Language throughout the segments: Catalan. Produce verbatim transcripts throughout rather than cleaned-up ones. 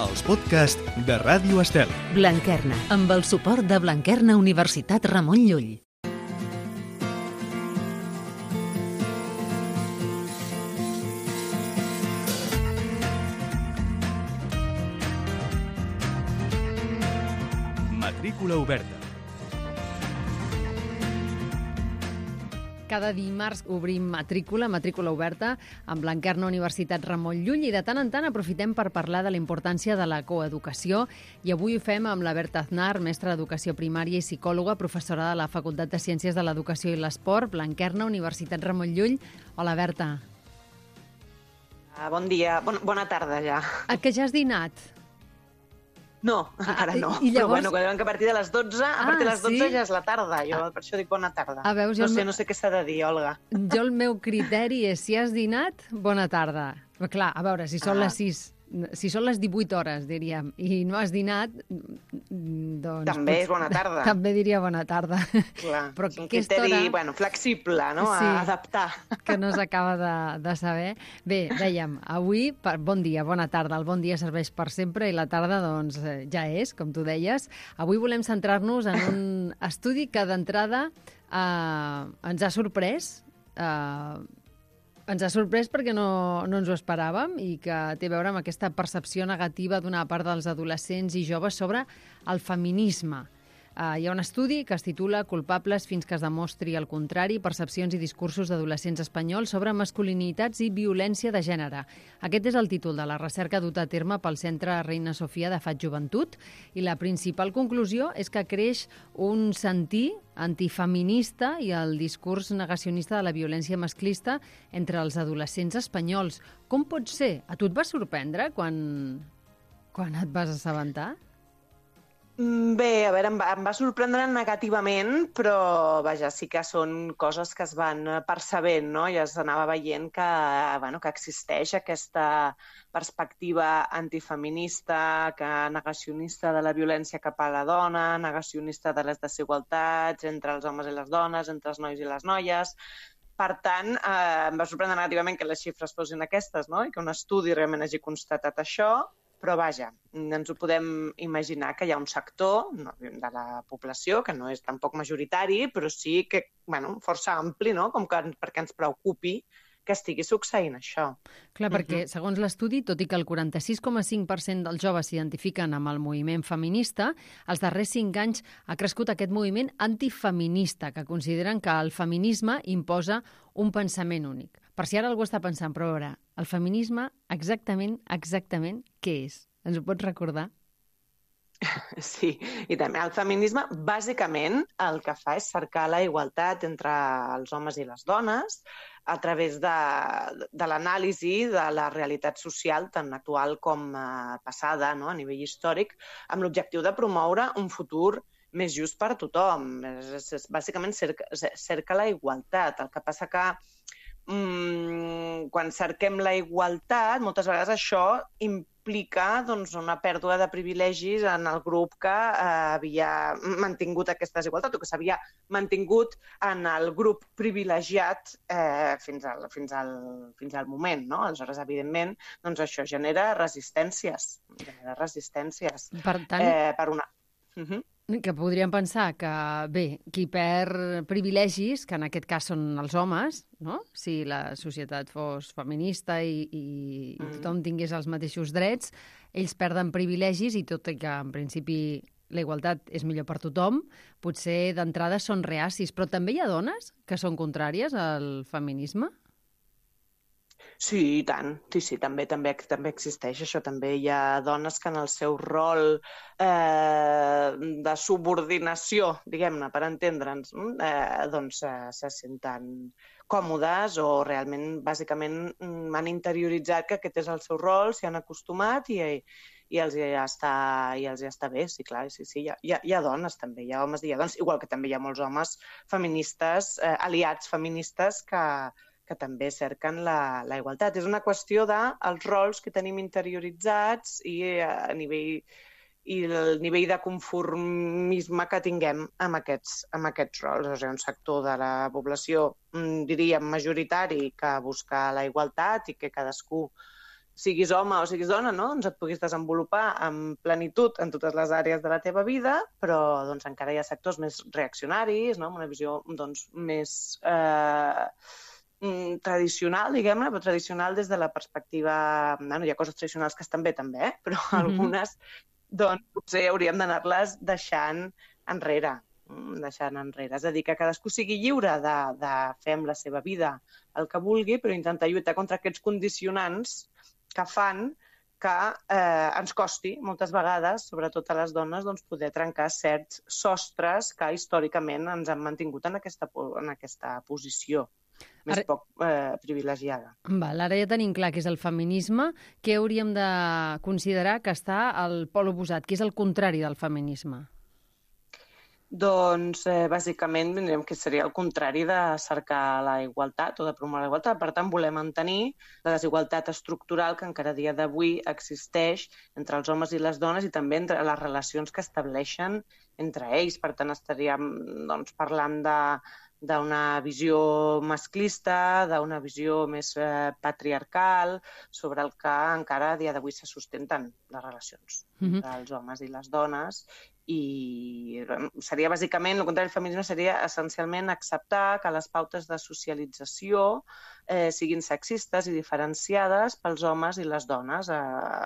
els podcasts de Ràdio Estel. Blanquerna, amb el suport de Blanquerna Universitat Ramon Llull. Matrícula oberta. Cada dimarts obrim matrícula, matrícula oberta, amb Blanquerna Universitat Ramon Llull i de tant en tant aprofitem per parlar de la importància de la coeducació i avui ho fem amb la Berta Aznar, mestra d'Educació Primària i psicòloga, professora de la Facultat de Ciències de l'Educació i l'Esport, Blanquerna Universitat Ramon Llull. Hola, Berta. Uh, bon dia, bon, bona tarda ja. A que ja has dinat? No, encara no. I llavors... Però bueno, que diuen que a partir de les dotze, a Ah, partir de les dotze sí? ja és la tarda. Jo per això dic bona tarda. Ah, veus, jo no el sé, meu- no sé què s'ha de dir, Olga. Jo el meu criteri és si has dinat, bona tarda. Però clar, a veure, si són Ah. les sis, si són les divuit hores, diríem, i no has dinat, doncs... També potser- és bona tarda. També diria bona tarda. Clar, Però és un aquesta criteri hora- bueno, flexible, no? Sí. A adaptar. que no s'acaba de, de saber. Bé, dèiem, avui, per, bon dia, bona tarda. El bon dia serveix per sempre i la tarda, doncs, eh, ja és, com tu deies. Avui volem centrar-nos en un estudi que d'entrada eh, ens ha sorprès. Eh, ens ha sorprès perquè no, no ens ho esperàvem i que té a veure amb aquesta percepció negativa d'una part dels adolescents i joves sobre el feminisme. Uh, hi ha un estudi que es titula Culpables fins que es demostri el contrari, percepcions i discursos d'adolescents espanyols sobre masculinitats i violència de gènere. Aquest és el títol de la recerca duta a terme pel Centre Reina Sofia de Fat Joventut i la principal conclusió és que creix un sentir antifeminista i el discurs negacionista de la violència masclista entre els adolescents espanyols. Com pot ser? A tu et va sorprendre quan, quan et vas assabentar? Mm, Bé, a veure, em va, em va sorprendre negativament, però vaja, sí que són coses que es van eh, percebent, no? Ja s'anava veient que, eh, bueno, que existeix aquesta perspectiva antifeminista, que negacionista de la violència cap a la dona, negacionista de les desigualtats entre els homes i les dones, entre els nois i les noies. Per tant, eh, em va sorprendre negativament que les xifres fossin aquestes, no? I que un estudi realment hagi constatat això. Però vaja, ens ho podem imaginar que hi ha un sector no, de la població que no és tampoc majoritari, però sí que, bueno, força ampli, no? Com que perquè ens preocupi que estigui succeint això. Clar, perquè, segons l'estudi, tot i que el quaranta-sis coma cinc per cent dels joves s'identifiquen amb el moviment feminista, els darrers cinc anys ha crescut aquest moviment antifeminista, que consideren que el feminisme imposa un pensament únic. Per si ara algú està pensant, però a veure, el feminisme exactament, exactament, què és? Ens ho pots recordar? Sí, i també el feminisme, bàsicament, el que fa és cercar la igualtat entre els homes i les dones a través de, de l'anàlisi de la realitat social tant actual com eh, passada, no? A nivell històric, amb l'objectiu de promoure un futur més just per a tothom. És, és, és, bàsicament cerca, cerca la igualtat. El que passa que mm, quan cerquem la igualtat, moltes vegades això implica doncs, una pèrdua de privilegis en el grup que eh, havia mantingut aquesta desigualtat o que s'havia mantingut en el grup privilegiat eh, fins, al, fins, al, fins al moment. No? Aleshores, evidentment, doncs això genera resistències. Genera resistències. Per tant, Eh, per una... Uh -huh. que podríem pensar que, bé, qui perd privilegis, que en aquest cas són els homes, no? Si la societat fos feminista i, i, i tothom tingués els mateixos drets, ells perden privilegis i tot i que, en principi, la igualtat és millor per tothom, potser d'entrada són reacis. Però també hi ha dones que són contràries al feminisme? Sí, i tant. Sí, sí, també, també, també existeix això. També hi ha dones que en el seu rol eh, de subordinació, diguem-ne, per entendre'ns, eh, doncs eh, se senten còmodes o realment, bàsicament, han interioritzat que aquest és el seu rol, s'hi han acostumat i, i els ja està, i els ja està bé. Sí, clar, sí, sí. Hi ha, hi ha, hi ha dones també, hi ha homes i hi ha dones, igual que també hi ha molts homes feministes, eh, aliats feministes que que també cerquen la, la igualtat. És una qüestió dels rols que tenim interioritzats i a nivell i el nivell de conformisme que tinguem amb aquests, amb aquests rols. O sigui, un sector de la població, diríem, majoritari, que busca la igualtat i que cadascú siguis home o siguis dona, no? Doncs et puguis desenvolupar amb plenitud en totes les àrees de la teva vida, però doncs, encara hi ha sectors més reaccionaris, no? Amb una visió doncs, més eh, tradicional, diguem-ne, però tradicional des de la perspectiva... Bueno, hi ha coses tradicionals que estan bé, també, eh? Però mm-hmm. algunes doncs, potser hauríem d'anar-les deixant enrere. deixant enrere. És a dir, que cadascú sigui lliure de, de fer amb la seva vida el que vulgui, però intentar lluitar contra aquests condicionants que fan que eh, ens costi moltes vegades, sobretot a les dones, doncs, poder trencar certs sostres que històricament ens han mantingut en aquesta, en aquesta posició més ara... poc eh, privilegiada. Val, ara ja tenim clar què és el feminisme. Què hauríem de considerar que està al pol oposat? Què és el contrari del feminisme? Doncs, eh, bàsicament, direm que seria el contrari de cercar la igualtat o de promoure la igualtat. Per tant, volem mantenir la desigualtat estructural que encara a dia d'avui existeix entre els homes i les dones i també entre les relacions que estableixen entre ells. Per tant, estaríem doncs, parlant de d'una visió masclista, d'una visió més eh, patriarcal, sobre el que encara a dia d'avui se sustenten les relacions mm-hmm. entre els homes i les dones. I seria bàsicament, el contrari del feminisme seria essencialment acceptar que les pautes de socialització eh, siguin sexistes i diferenciades pels homes i les dones, eh,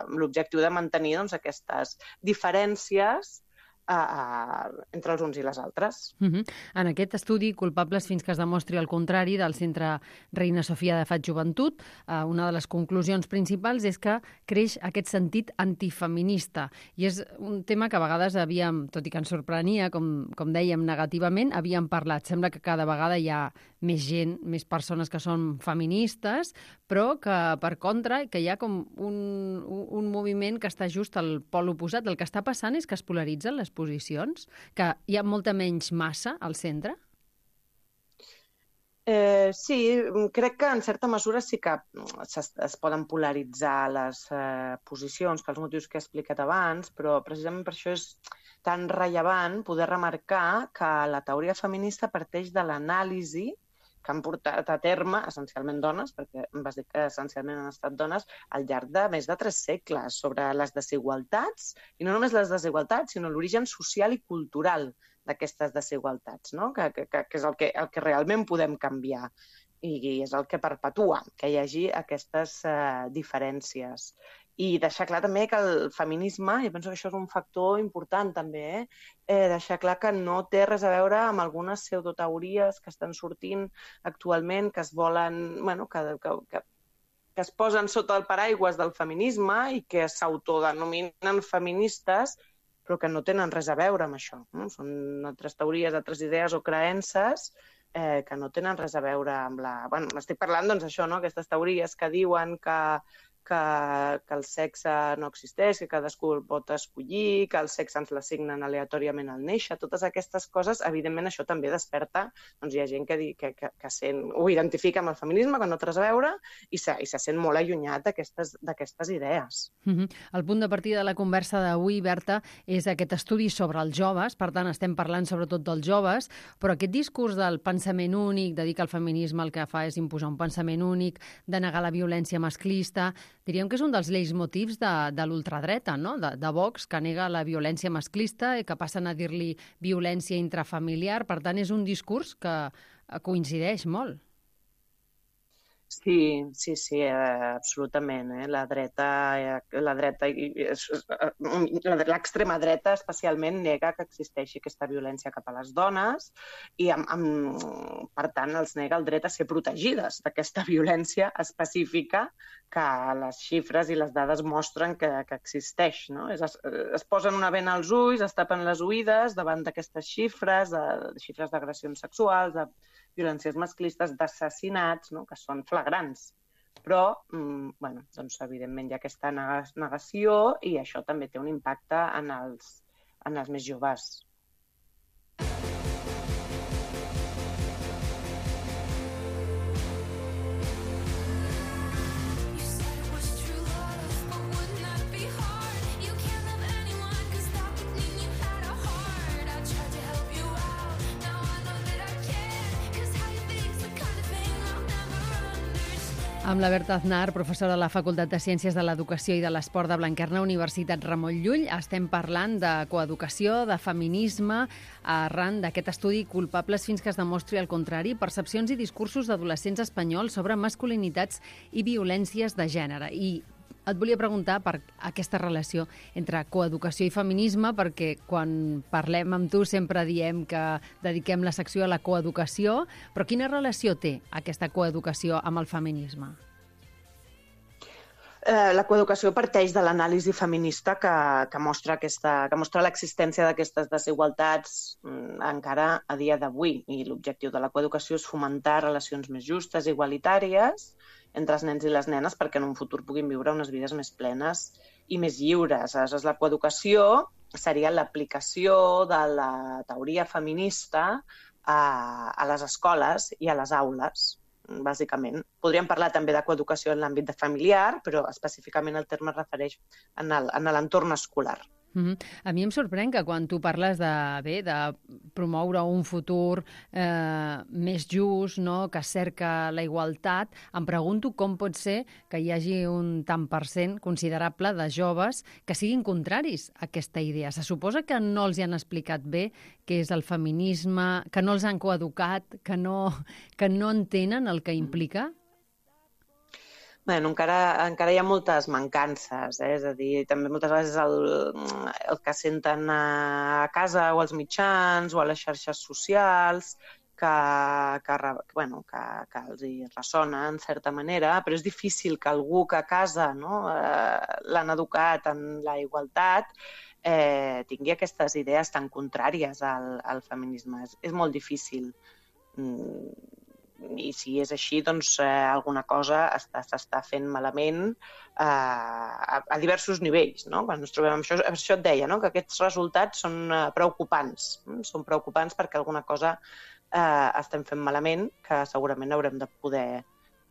amb l'objectiu de mantenir doncs, aquestes diferències A, a, entre els uns i les altres. Uh-huh. En aquest estudi, Culpables fins que es demostri el contrari, del Centre Reina Sofia de Fat Joventut, eh, una de les conclusions principals és que creix aquest sentit antifeminista. I és un tema que a vegades havíem, tot i que ens sorprenia, com, com dèiem, negativament, havíem parlat. Sembla que cada vegada hi ha més gent, més persones que són feministes, però que, per contra, que hi ha com un, un, un moviment que està just al pol oposat. El que està passant és que es polaritzen les posicions, que hi ha molta menys massa al centre? Eh, sí, crec que en certa mesura sí que es, es poden polaritzar les eh, posicions, que els motius que he explicat abans, però precisament per això és tan rellevant poder remarcar que la teoria feminista parteix de l'anàlisi que han portat a terme, essencialment dones, perquè vas dir que essencialment han estat dones, al llarg de més de tres segles, sobre les desigualtats, i no només les desigualtats, sinó l'origen social i cultural d'aquestes desigualtats, no? que, que, que és el que, el que realment podem canviar, i és el que perpetua, que hi hagi aquestes eh, diferències. I deixar clar també que el feminisme, jo penso que això és un factor important també, eh? Eh, deixar clar que no té res a veure amb algunes pseudoteories que estan sortint actualment, que es volen, bueno, que, que, que, que es posen sota el paraigües del feminisme i que s'autodenominen feministes, però que no tenen res a veure amb això. No? Són altres teories, altres idees o creences eh, que no tenen res a veure amb la... Bueno, estic parlant, doncs, això, no? Aquestes teories que diuen que Que, que el sexe no existeix, que cadascú el pot escollir, que el sexe ens l'assignen aleatòriament al néixer. Totes aquestes coses, evidentment, això també desperta. Doncs hi ha gent que, que, que, que sent, ho identifica amb el feminisme, que no té res a veure, i se, i se sent molt allunyat d'aquestes idees. Mm-hmm. El punt de partida de la conversa d'avui, Berta, és aquest estudi sobre els joves. Per tant, estem parlant sobretot dels joves, però aquest discurs del pensament únic, de dir que el feminisme el que fa és imposar un pensament únic, de negar la violència masclista, diríem que és un dels leitmotivs de, de l'ultradreta, no? de, de Vox, que nega la violència masclista i que passen a dir-li violència intrafamiliar. Per tant, és un discurs que coincideix molt. Sí, sí, sí, eh, absolutament. Eh? La dreta, eh, la dreta, l'extrema dreta especialment nega que existeixi aquesta violència cap a les dones i, amb, amb, per tant, els nega el dret a ser protegides d'aquesta violència específica que les xifres i les dades mostren que, que existeix. No? Es, es posen una vena als ulls, es tapen les oïdes davant d'aquestes xifres, de, de xifres d'agressions sexuals, de violències masclistes, d'assassinats, no? que són flagrants. Però, mm, bueno, doncs, evidentment, hi ha aquesta negació i això també té un impacte en els, en els més joves. Amb la Berta Aznar, professora de la Facultat de Ciències de l'Educació i de l'Esport de Blanquerna, Universitat Ramon Llull, estem parlant de coeducació, de feminisme, arran d'aquest estudi Culpables fins que es demostri el contrari, percepcions i discursos d'adolescents espanyols sobre masculinitats i violències de gènere. I et volia preguntar per aquesta relació entre coeducació i feminisme, perquè quan parlem amb tu sempre diem que dediquem la secció a la coeducació, però quina relació té aquesta coeducació amb el feminisme? Eh, la coeducació parteix de l'anàlisi feminista que, que mostra, aquesta, que mostra l'existència d'aquestes desigualtats mm, encara a dia d'avui. I l'objectiu de la coeducació és fomentar relacions més justes i igualitàries entre els nens i les nenes perquè en un futur puguin viure unes vides més plenes i més lliures. Aleshores, la coeducació seria l'aplicació de la teoria feminista a, a les escoles i a les aules, bàsicament. Podríem parlar també de coeducació en l'àmbit familiar, però específicament el terme es refereix en l'entorn escolar. Uh-huh. A mi em sorprèn que quan tu parles de, bé, de promoure un futur eh, més just, no?, que cerca la igualtat, em pregunto com pot ser que hi hagi un tant per cent considerable de joves que siguin contraris a aquesta idea. Se suposa que no els hi han explicat bé què és el feminisme, que no els han coeducat, que no, que no entenen el que implica? Bueno, encara, encara hi ha moltes mancances, eh? És a dir, també moltes vegades el, el que senten a casa o als mitjans o a les xarxes socials que, que, bueno, que, que els hi ressona en certa manera, però és difícil que algú que a casa, no, eh, l'han educat en la igualtat eh, tingui aquestes idees tan contràries al, al feminisme. És, és molt difícil. Mm. I si és així, doncs eh, alguna cosa s'està fent malament eh, a, a diversos nivells, no? Quan ens trobem amb això, això et deia, no?, que aquests resultats són eh, preocupants. Mm? Són preocupants perquè alguna cosa eh, estem fent malament que segurament haurem de poder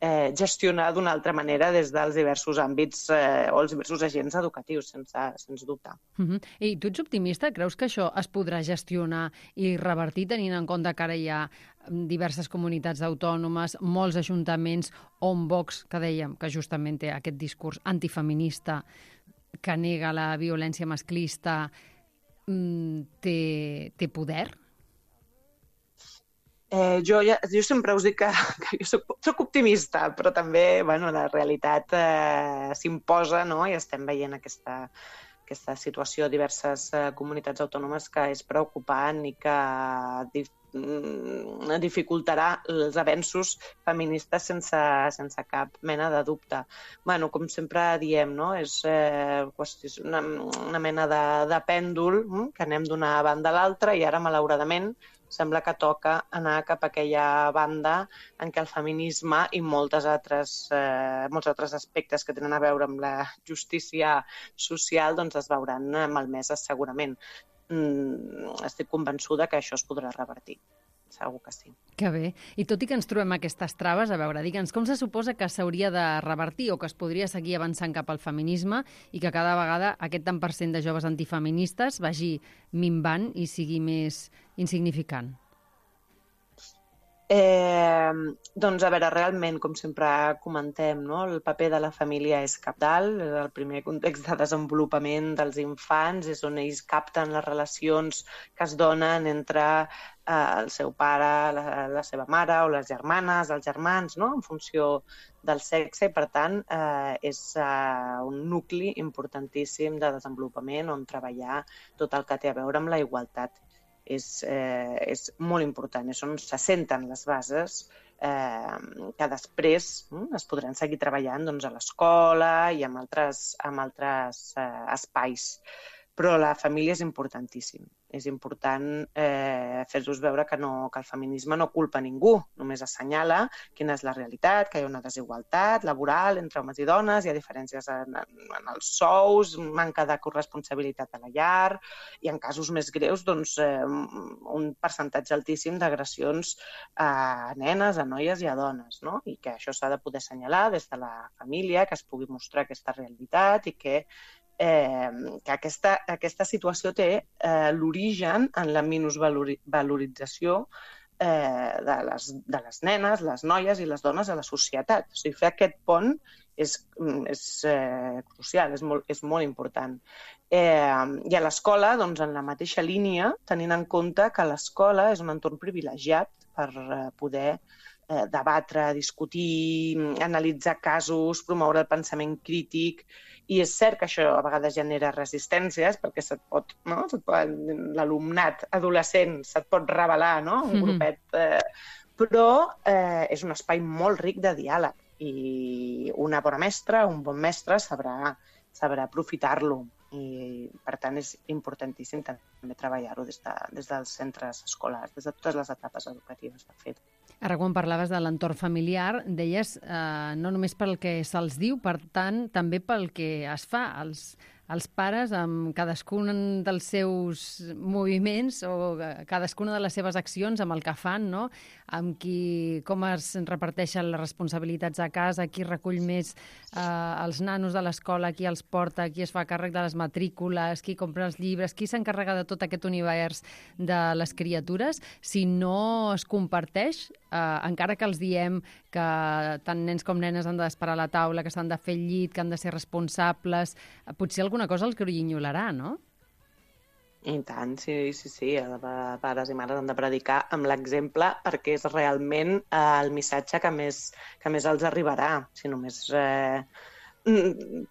eh, gestionar d'una altra manera des dels diversos àmbits eh, o els diversos agents educatius, sense, sense dubte. Uh-huh. I tu ets optimista? Creus que això es podrà gestionar i revertir, tenint en compte que ara hi ha diverses comunitats autònomes, molts ajuntaments on Vox, que dèiem que justament té aquest discurs antifeminista que nega la violència masclista, té, té poder? Eh, jo, ja, jo sempre us dic que, que jo soc, soc optimista, però també bueno, la realitat eh, s'imposa, no?, i estem veient aquesta, aquesta situació a diverses eh, comunitats autònomes que és preocupant i que dif dificultarà els avenços feministes sense, sense cap mena de dubte. Bueno, com sempre diem, no?, és eh, una, una mena de, de pèndol hm? que anem d'una banda a l'altra i ara, malauradament, sembla que toca anar cap a aquella banda en què el feminisme i moltes altres, eh, molts altres aspectes que tenen a veure amb la justícia social doncs es veuran malmeses segurament. Mm, estic convençuda que això es podrà revertir. Segur que sí. Que bé. I tot i que ens trobem aquestes traves, a veure, digue'ns, com se suposa que s'hauria de revertir o que es podria seguir avançant cap al feminisme i que cada vegada aquest tant per cent de joves antifeministes vagi minvant i sigui més insignificant? Eh, doncs, a veure, realment, com sempre comentem, no?, el paper de la família és cabdal, és el primer context de desenvolupament dels infants, és on ells capten les relacions que es donen entre eh, el seu pare, la, la seva mare o les germanes, els germans, no?, en funció del sexe, i per tant eh, és eh, un nucli importantíssim de desenvolupament on treballar tot el que té a veure amb la igualtat. És, eh, és molt important, és on se senten les bases eh, que després hm, es podran seguir treballant doncs, a l'escola i en altres, en altres eh, espais. Però la família és importantíssim. És important eh, fer-los veure que, no, que el feminisme no culpa ningú, només assenyala quina és la realitat, que hi ha una desigualtat laboral entre homes i dones, hi ha diferències en, en els sous, manca de corresponsabilitat a la llar, i en casos més greus, doncs, eh, un percentatge altíssim d'agressions a nenes, a noies i a dones, no? I que això s'ha de poder assenyalar des de la família, que es pugui mostrar aquesta realitat i que Eh, que aquesta, aquesta situació té eh, l'origen en la minusvalorització eh, de, les, de les nenes, les noies i les dones a la societat. O sigui, fer aquest pont és, és eh, crucial, és molt, és molt important. Eh, I a l'escola, doncs, en la mateixa línia, tenint en compte que l'escola és un entorn privilegiat per eh, poder eh, debatre, discutir, analitzar casos, promoure el pensament crític. I és cert que això a vegades genera resistències, perquè se't pot, no? se't pot, l'alumnat adolescent se't pot revelar, no? Un grupet. Eh, però eh, és un espai molt ric de diàleg i una bona mestra, un bon mestre sabrà, sabrà aprofitar-lo. I, per tant, és importantíssim també treballar-ho des, de, des dels centres escolars, des de totes les etapes educatives, de fet. Ara, quan parlaves de l'entorn familiar, deies eh, no només pel que se'ls diu, per tant, també pel que es fa. Els, els pares, amb cadascun dels seus moviments o cadascuna de les seves accions, amb el que fan, no? Amb qui, com es reparteixen les responsabilitats a casa, qui recull més eh, els nanos de l'escola, qui els porta, qui es fa càrrec de les matrícules, qui compra els llibres, qui s'encarrega de tot aquest univers de les criatures, si no es comparteix, eh, encara que els diem que tant nens com nenes han d'esperar a la taula, que s'han de fer el llit, que han de ser responsables, potser alguna cosa els grinyolarà, no? I tant, sí, sí, sí. Pares i mares han de predicar amb l'exemple perquè és realment eh, el missatge que més, que més els arribarà. Si només eh,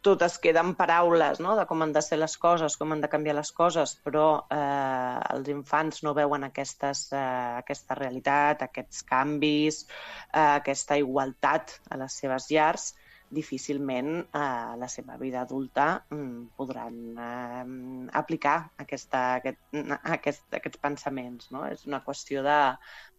tot es queda en paraules, no?, de com han de ser les coses, com han de canviar les coses, però eh, els infants no veuen aquestes, eh, aquesta realitat, aquests canvis, eh, aquesta igualtat a les seves llars, difícilment a eh, la seva vida adulta mm, podran eh, aplicar aquesta, aquest, aquest, aquests pensaments. No? És una qüestió de,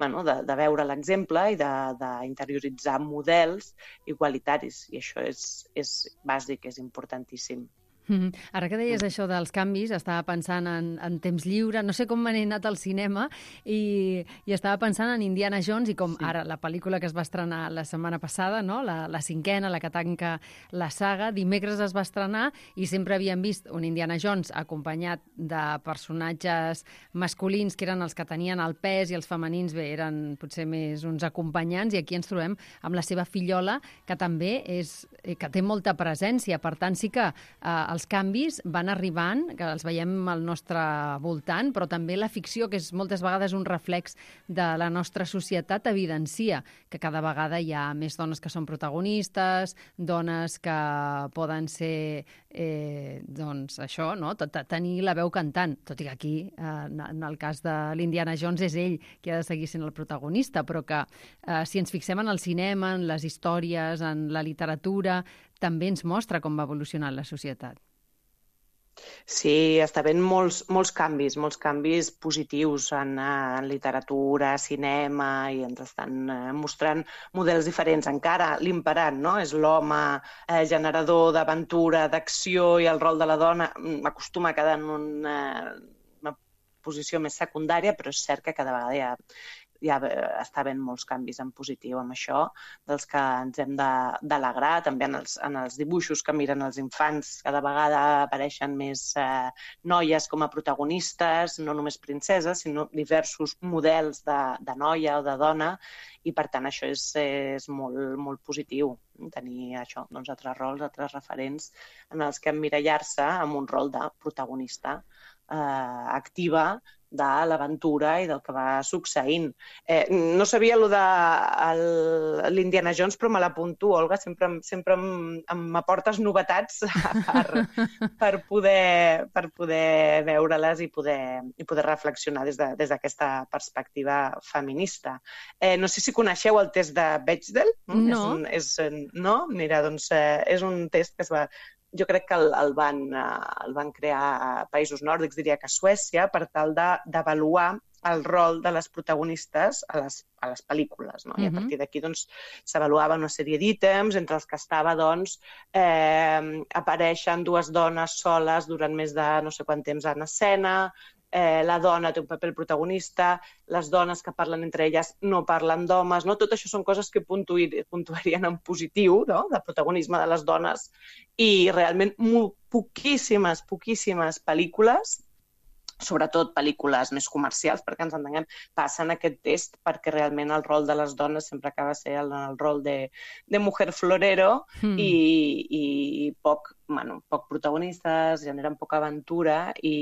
bueno, de, de veure l'exemple i d'interioritzar models igualitaris, i això és, és bàsic, és importantíssim. Mm-hmm. Ara que deies això dels canvis, estava pensant en, en temps lliure, no sé com m'he anat al cinema, i, i estava pensant en Indiana Jones i com sí. Ara la pel·lícula que es va estrenar la setmana passada, no? la, la cinquena, la que tanca la saga, dimecres es va estrenar i sempre havíem vist un Indiana Jones acompanyat de personatges masculins que eren els que tenien el pes i els femenins, bé, eren potser més uns acompanyants, i aquí ens trobem amb la seva fillola, que també és, que té molta presència, per tant sí que eh, els canvis van arribant, que els veiem al nostre voltant, però també la ficció, que és moltes vegades un reflex de la nostra societat, evidencia que cada vegada hi ha més dones que són protagonistes, dones que poden ser, eh, doncs, això, no?, tenir la veu cantant, tot i que aquí, eh, en el cas de l'Indiana Jones, és ell qui ha de seguir sent el protagonista, però que eh, si ens fixem en el cinema, en les històries, en la literatura, també ens mostra com va evolucionar la societat. Sí, està havent molts, molts canvis, molts canvis positius en, en literatura, cinema, i ens estan eh, mostrant models diferents. Encara l'imperant, no?, és l'home eh, generador d'aventura, d'acció, i el rol de la dona acostuma a quedar en una, una posició més secundària, però és cert que cada vegada hi ha ja està havent molts canvis en positiu amb això, dels que ens hem d'alegrar. També en els, en els dibuixos que miren els infants cada vegada apareixen més eh, noies com a protagonistes, no només princeses, sinó diversos models de, de noia o de dona, i per tant això és, és molt, molt positiu, tenir això, doncs, altres rols, altres referents en els que emmirallar-se amb un rol de protagonista eh, activa de l'aventura i del que va succeint. Eh, no sabia allò de l'Indiana Jones, però me l'apunto, Olga, sempre, sempre m'aportes novetats per, per poder, per poder veure-les i poder, i poder reflexionar des de, des d'aquesta perspectiva feminista. Eh, no sé si coneixeu el test de Bechdel. No. És un, és, no? Mira, doncs eh, és un test que es va... Jo crec que el, el, van, el van crear a països nòrdics, diria que a Suècia, per tal d'avaluar el rol de les protagonistes a les, a les pel·lícules. No? Uh-huh. I a partir d'aquí doncs, s'avaluava una sèrie d'ítems, entre els que estava doncs, eh, apareixen dues dones soles durant més de no sé quant temps en escena, eh, la dona té un paper protagonista, les dones que parlen entre elles no parlen d'homes, no? Tot això són coses que puntuir, puntuarien en positiu, no?, de protagonisme de les dones, i realment poquíssimes, poquíssimes pel·lícules sobretot pel·lícules més comercials, perquè ens entenguem, passen aquest test perquè realment el rol de les dones sempre acaba sent el, el rol de, de mujer florero mm. i, i poc, bueno, poc protagonistes, generen poca aventura i,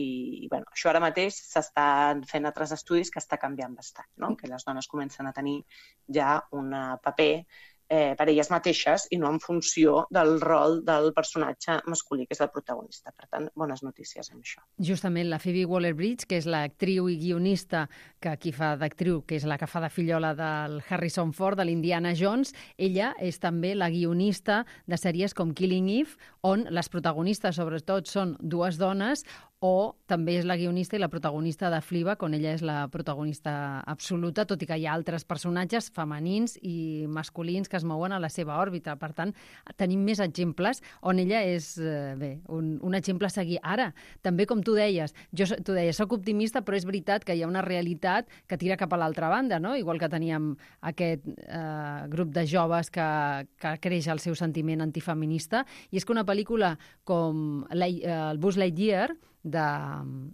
i bueno, això ara mateix s'estan fent altres estudis que està canviant bastant, no? Que les dones comencen a tenir ja un paper Eh, per elles mateixes i no en funció del rol del personatge masculí, que és el protagonista. Per tant, bones notícies amb això. Justament la Phoebe Waller-Bridge, que és l'actriu i guionista que aquí fa d'actriu, que és la que fa de fillola del Harrison Ford, de l'Indiana Jones, ella és també la guionista de sèries com Killing Eve, on les protagonistes, sobretot, són dues dones, o també és la guionista i la protagonista de Fleabag, on ella és la protagonista absoluta, tot i que hi ha altres personatges femenins i masculins que es mouen a la seva òrbita. Per tant, tenim més exemples on ella és eh, bé, un, un exemple a seguir. Ara, també com tu deies, jo tu deies, soc optimista, però és veritat que hi ha una realitat que tira cap a l'altra banda, no? Igual que teníem aquest eh, grup de joves que, que creix el seu sentiment antifeminista, i és que una pel·lícula com la, eh, el Buzz Lightyear, de,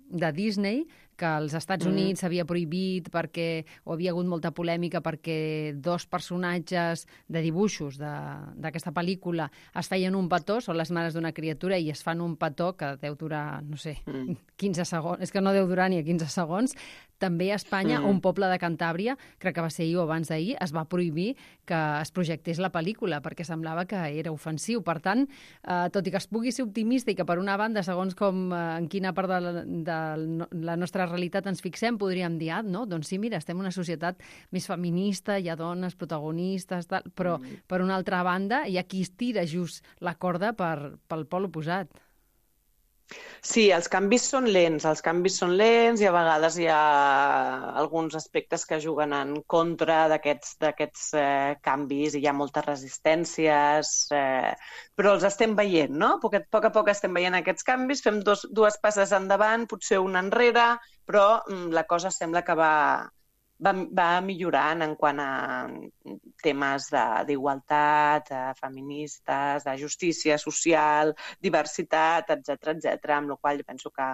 de Disney, que als Estats Units s'havia mm. prohibit perquè o havia hagut molta polèmica perquè dos personatges de dibuixos d'aquesta pel·lícula es feien un petó, són les mares d'una criatura i es fan un petó que deu durar, no sé, mm. quinze segons, és que no deu durar ni a quinze segons. També a Espanya, mm. un poble de Cantàbria, crec que va ser ahir o abans d'ahir, es va prohibir que es projectés la pel·lícula perquè semblava que era ofensiu. Per tant, eh, tot i que es pugui ser optimista i que per una banda, segons com eh, en quina part de la, de la nostra realitat ens fixem, podríem dir, ah, no, doncs sí, mira, estem en una societat més feminista, hi ha dones protagonistes, tal, però mm. per una altra banda hi ha qui estira just la corda per, pel pol oposat. Sí, els canvis són lents, els canvis són lents i a vegades hi ha alguns aspectes que juguen en contra d'aquests d'aquests eh, canvis i hi ha moltes resistències, eh, però els estem veient, no? A poc a poc estem veient aquests canvis, fem dos, dues passes endavant, potser una enrere, però mm, la cosa sembla que va, va, va millorant en quant a temes d'igualtat, feministes, de justícia social, diversitat, etcètera, etcètera, amb la qual jo penso que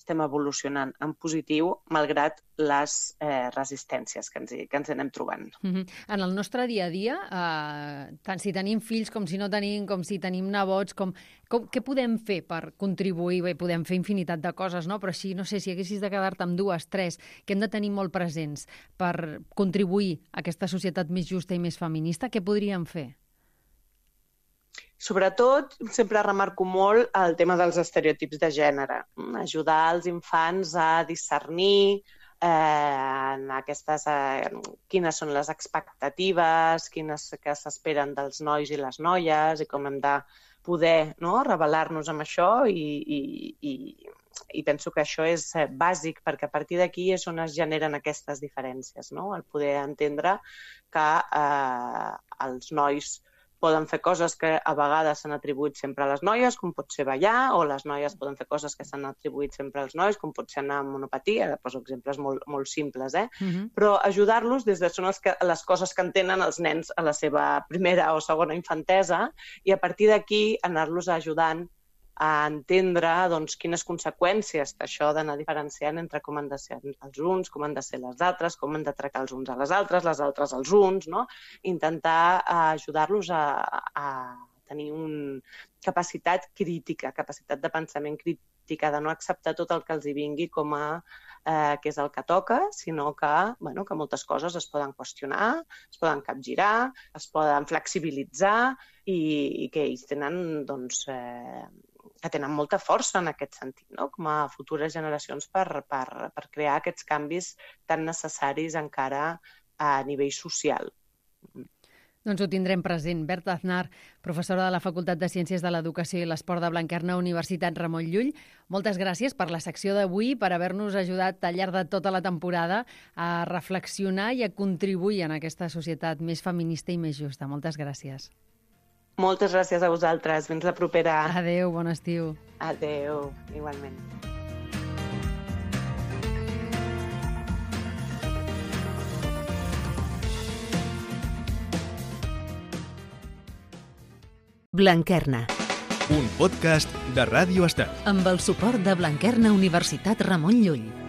estem evolucionant en positiu, malgrat les eh, resistències que ens, hi, que ens anem trobant. Mm-hmm. En el nostre dia a dia, eh, tant si tenim fills com si no tenim, com si tenim nebots, com, com, què podem fer per contribuir? Bé, podem fer infinitat de coses, no? Però si, no sé, si haguessis de quedar-te amb dues, tres, que hem de tenir molt presents per contribuir a aquesta societat més justa i més feminista, què podríem fer? Sobretot, sempre remarco molt el tema dels estereotips de gènere. Ajudar els infants a discernir eh, en aquestes, eh, quines són les expectatives, quines que s'esperen dels nois i les noies i com hem de poder, no, revelar-nos amb això i, i, i, i penso que això és bàsic perquè a partir d'aquí és on es generen aquestes diferències, no? El poder entendre que eh, els nois poden fer coses que a vegades s'han atribuït sempre a les noies, com pot ser ballar, o les noies poden fer coses que s'han atribuït sempre als nois, com pot ser anar amb monopatia, ara poso exemples molt, molt simples, eh? Uh-huh. Però ajudar-los des de són les, que, les coses que entenen els nens a la seva primera o segona infantesa i a partir d'aquí anar-los ajudant a entendre doncs, quines conseqüències això d'anar diferenciant entre com han de ser els uns, com han de ser les altres, com han de tractar els uns a les altres, les altres als uns, no? Intentar ajudar-los a, a tenir una capacitat crítica, capacitat de pensament crítica, de no acceptar tot el que els hi vingui com a eh, que és el que toca, sinó que, bueno, que moltes coses es poden qüestionar, es poden capgirar, es poden flexibilitzar i, i que ells tenen, doncs, eh, que tenen molta força en aquest sentit, no? Com a futures generacions per, per, per crear aquests canvis tan necessaris encara a nivell social. Doncs ho tindrem present. Berta Aznar, professora de la Facultat de Ciències de l'Educació i l'Esport de Blanquerna, Universitat Ramon Llull. Moltes gràcies per la secció d'avui, per haver-nos ajudat al llarg de tota la temporada a reflexionar i a contribuir en aquesta societat més feminista i més justa. Moltes gràcies. Moltes gràcies a vosaltres. Fins la propera. Adéu, bon estiu. Adéu, igualment. Blanquerna. un podcast de Ràdio Estel. Amb el suport de Blanquerna Universitat Ramon Llull.